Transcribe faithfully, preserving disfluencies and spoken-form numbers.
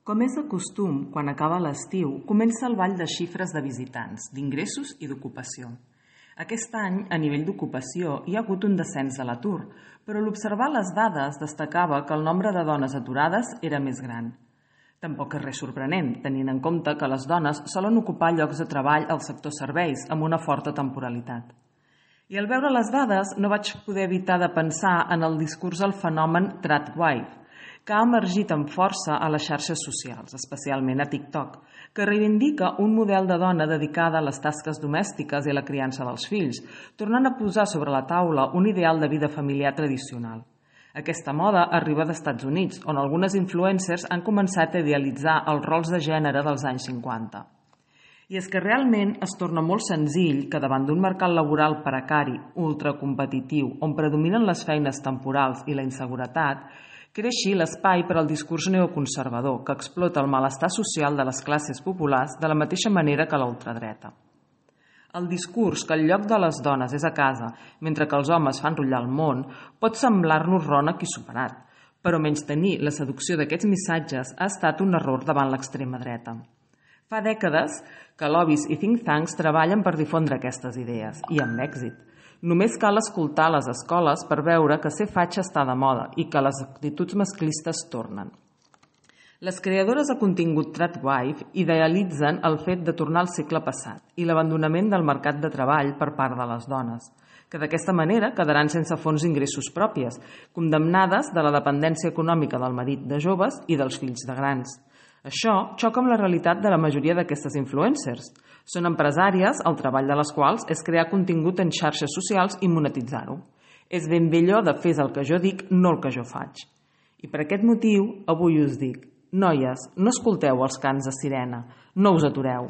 Com és de costum, quan acaba l'estiu, comença el ball de xifres de visitants, d'ingressos i d'ocupació. Aquest any, a nivell d'ocupació, hi ha hagut un descens de l'atur, però l'observar les dades destacava que el nombre de dones aturades era més gran. Tampoc és res sorprenent, tenint en compte que les dones solen ocupar llocs de treball al sector serveis amb una forta temporalitat. I al veure les dades no vaig poder evitar de pensar en el discurs del fenomen tradwife, que ha emergit amb força a les xarxes socials, especialment a TikTok, que reivindica un model de dona dedicada a les tasques domèstiques i a la criança dels fills, tornant a posar sobre la taula un ideal de vida familiar tradicional. Aquesta moda arriba dels Estats Units, on algunes influencers han començat a idealitzar els rols de gènere dels anys cinquanta. I és que realment es torna molt senzill que davant d'un mercat laboral precari, ultracompetitiu, on predominen les feines temporals i la inseguretat, creixi l'espai per al discurs neoconservador que explota el malestar social de les classes populars de la mateixa manera que la ultradreta. El discurs que el lloc de les dones és a casa, mentre que els homes fan rotllar el món, pot semblar-nos rònec i superat, però menystenir la seducció d'aquests missatges ha estat un error davant l'extrema dreta. Fa dècades que lobbies i think tanks treballen per difondre aquestes idees, i amb èxit. Només cal escoltar les escoles per veure que ser fatxa està de moda i que les actituds masclistes tornen. Les creadores de contingut tradwife idealitzen el fet de tornar al segle passat i l'abandonament del mercat de treball per part de les dones, que d'aquesta manera quedaran sense fonts d'ingressos pròpies, condemnades de la dependència econòmica del marit de joves i dels fills de grans. Això xoca amb la realitat de la majoria d'aquestes influencers. Són empresàries, el treball de les quals és crear contingut en xarxes socials i monetitzar-ho. És ben bé allò de fes el que jo dic, no el que jo faig. I per aquest motiu, avui us dic, noies, no escolteu els cants de sirena, no us atureu.